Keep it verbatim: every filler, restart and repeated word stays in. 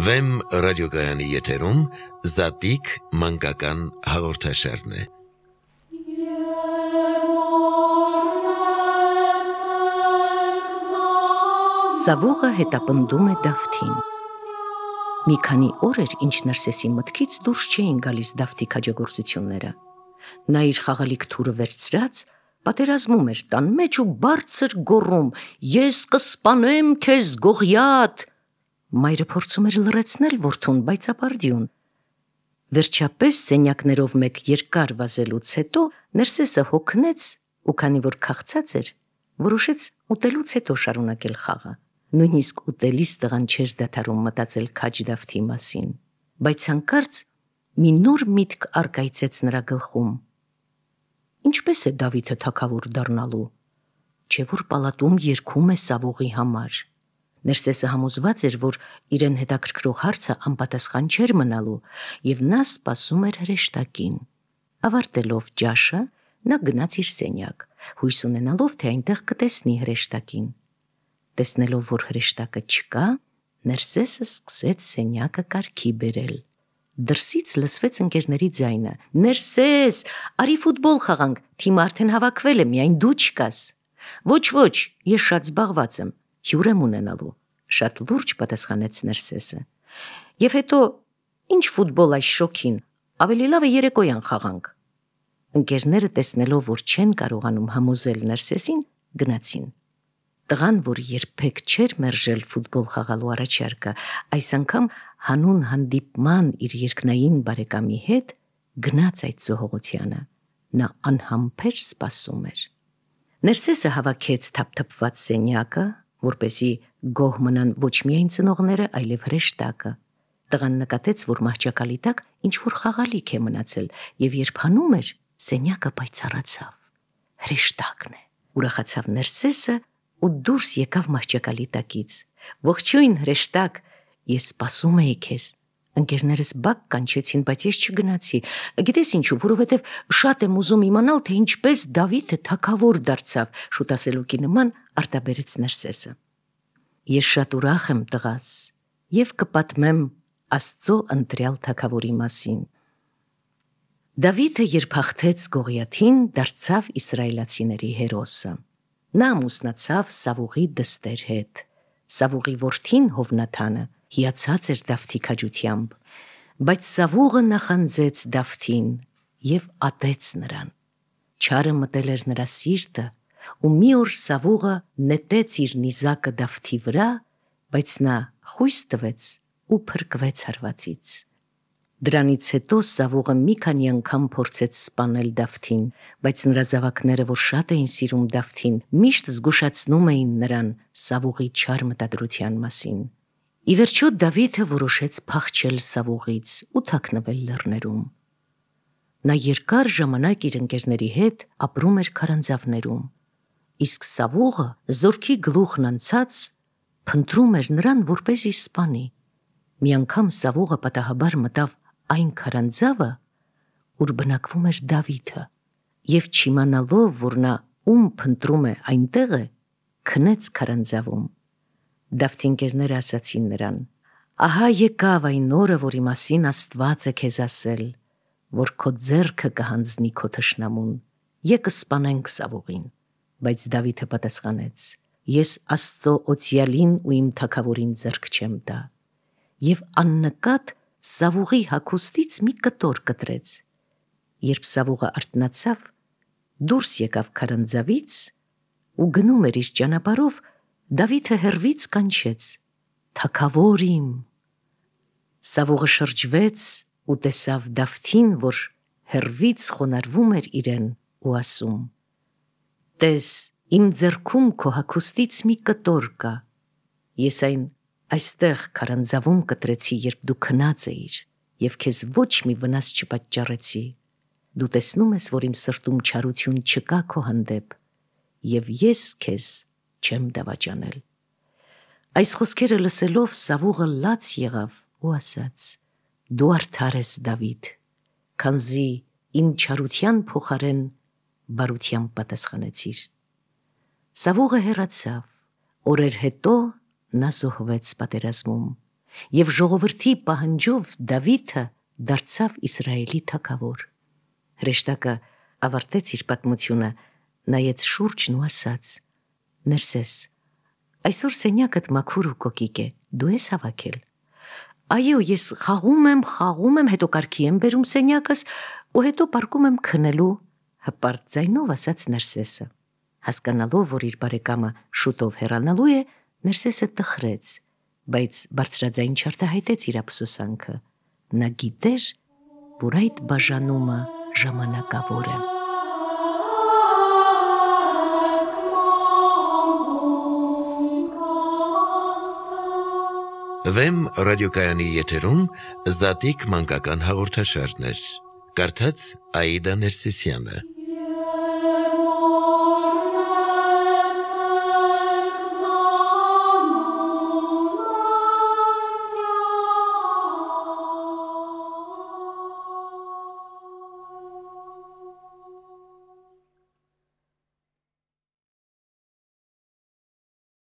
Վեմ ռադիոգայանի եթերում Զատիկ մանկական հաղորդաշարն է։ Սավուղը հետապնդում է Դավթին։ Մի քանի օր էր, ինչ Ներսեսի մտքից դուրս չէին գալիս Դավթի քաջագործությունները։ Նա իր խաղալիք թուրը վերցրած պատերազմում էր տան մեջ ու բարձր գոռում. «Ես կսպանեմ քեզ, Գողիաթ»։ Մայրը փորձում էր լռեցնել որդուն, բայց ապարդյուն։ Վերջապես սենյակներով մեկ երկար վազելուց հետո Ներսեսը հոգնեց ու քանի որ քաղցած էր, որոշեց ուտելուց հետո շարունակել խաղը։ Նույնիսկ ուտելիս տղան չէր դադարում մտածել քաջ Դավթի մասին, բայց հանկարծ մի նոր միտք առկայծեց նրա գլխում։ Ինչպես է Դավիթը թագավոր դառնալու, չէ՞ որ պալատում երգում է Սավուղի համար։ Ներսեսը համոզված էր, որ իրեն հետաքրքրող հարցը անպատասխան չէր մնալու, եւ նա սպասում էր հրեշտակին։ Ավարտելով ջաշը, նա գնաց իր սենյակ, հույս ունենալով, թե այնտեղ կտեսնի հրեշտակին։ Տեսնելով, որ հրեշտակը չկա, Ներսեսը սկսեց սենյակը կարգի բերել։ Դրսից լսվեց ընկերների ձայնը. «Ներսես, արի ֆուտբոլ խաղանք, թիմը արդեն հավաքվել է, միայն դու չկաս»։ «Ոչ, ոչ, ես շատ զբաղված եմ, հյուր եմ ունենալու», շատ լուրջ պատասխանեց Ներսեսը։ «Եվ հետո, ինչ ֆուտբոլ այս շոգին, ավելի լավ է երեկոյան խաղանք»։ Ընկերները տեսնելով, որ չեն կարողանում համոզել Ներսեսին, գնացին։ Տղան, որ երբեք չէր մերժել ֆուտբոլ խաղալու առաջարկը, այս անգամ հանուն հանդիպման իր երկնային բարեկամի հետ գնաց այդ զոհողությանը։ Նա անհամբեր սպասում էր։ Ներսեսը հավաքեց թափթփված սենյակը, որպեսզի գոհ մնան ոչ միայն ծնողները, այլև հրեշտակը։ Տղան նկատեց, որ մահճակալի տակ ինչ-որ խաղալիք է մնացել, եւ երբ հանում էր, սենյակը պայծառացավ։ Հրեշտակն է, ուրախացավ Ներսեսը ու դուրս եկավ մահճակալի տակից։ «Ողջույն, հրեշտակ, ես սպասում էի քեզ»։ Ընկերներս բակ կանչեցին, բայց ես չգնացի։ Գիտես ինչու, որովհետև շատ եմ ուզում իմանալ, թե ինչպես Դավիթը թագավոր դարձավ, շուտասելուկի նման արտաբերեց Ներսեսը։ Ես շատ ուրախ եմ, տղաս, եւ կպատմեմ Աստծո ընտրյալ թագավորի մասին։ Դավիթը, երբ հաղթեց Գողիաթին, դարձավ իսրայելացիների հերոսը։ Նա ամուսնացավ Սավուղի դստեր հետ։ Սավուղի որդին Հովնաթանը հիացած էր Դավթի քաջությամբ, բայց Սավուղը նախանձեց Դավթին եւ ատեց նրան։ Չարը մտել էր նրա սիրտը, ու մի օր Սավուղը նետեց իր նիզակը Դավթի վրա, բայց նա խույս տվեց ու փրկվեց հարվածից։ Դրանից հետո Սավուղը մի քանի անգամ փորձեց սպանել Դավթին, բայց նրա զավակները, որ շատ էին սիրում Դավթին, միշտ զգուշացնում էին նրան Սավուղի չար մտադրության մասին։ Ի վերջո Դավիթը որոշեց փախչել Սավուղից ու թաքնվել լեռներում։ Նա երկար ժամանակ իր ընկերների հետ ապրում էր քարանձավներում, իսկ Սավուղը զորքի գլուխն անցած փնտրում էր նրան, որպեսզի սպանի։ Մի անգամ Սավուղը պատահաբար մտավ այն քարանձավը, ուր բնակվում էր Դավիթը, եւ չիմանալով, որ նա ում փնտրում է այնտեղ է, քնեց քարանձավում։ Դավթի ընկերները ասացին նրան. «Ահա եկավ այն օրը, որի մասին Աստված է քեզ ասել, որ քո ձեռքը կհանձնի քո թշնամուն, եկը սպանենք Սավուղին»։ Բայց Դավիթը պատասխանեց. «Ես Աստծո օծյալին ու իմ թագավորին ձեռք չեմ տա»։ Եվ աննկատ Սավուղի հագուստից մի կտոր կտրեց։ Երբ Սավուղը արթնացավ, դուրս եկավ քարանձավից ու գնում էր իր ճանապարհով, Դավիթը հեռվից կանչեց. «Թագավոր իմ»։ Սավուղը շրջվեց ու տեսավ Դավթին, որ հեռվից խոնարհվում էր իրեն ու ասում. «Տես, իմ ձեռքում քո հագուստից մի կտոր կա։ Ես այն այստեղ քարանձավում կտրեցի, երբ դու քնած էիր, եւ քեզ ոչ մի վնաս չպատճառեցի։ Դու տեսնում ես, որ իմ սրտում չարություն չկա քո հանդեպ, եւ ես քեզ չեմ դավաճանել»։ Այս խոսքերը լսելով Սավուղը լաց եղավ ու ասաց. «Դու արդար ես, Դավիթ, քանզի իմ չարության փոխարեն բարությամբ պատասխանեցիր»։ Սավուղը հեռացավ։ Օրեր հետո նա զոհվեց պատերազմում, եւ ժողովրդի պահանջով Դավիթը դարձավ Իսրայելի թագավոր։ Հրեշտակը ավարտեց իր պատմությունը, նայեց շուրջն ու ասաց. «Ներսես, այսօր սենյակդ մաքուր ու կոկիկ է, դու ես հավաքել»։ «Այո, ես խաղում եմ, խաղում եմ, հետո կարգի եմ բերում սենյակս ու հետո պարկում եմ քնելու», հպարտ ձայնով ասաց Ներսեսը։ Հասկանալով, որ իր բարեկամը շուտով հեռանալու է, Ներսեսը տխրեց, բայց բարձրաձայն չարտահայտեց իր ափսոսանքը։ Նա գիտեր, որ այդ բաժանումը ժամանակավոր է։ Վեմ ռադիոկայանի եթերում Զատիկ մանկական հաղորդաշարներ։ Կարդաց Աիդա Ներսիսյանը։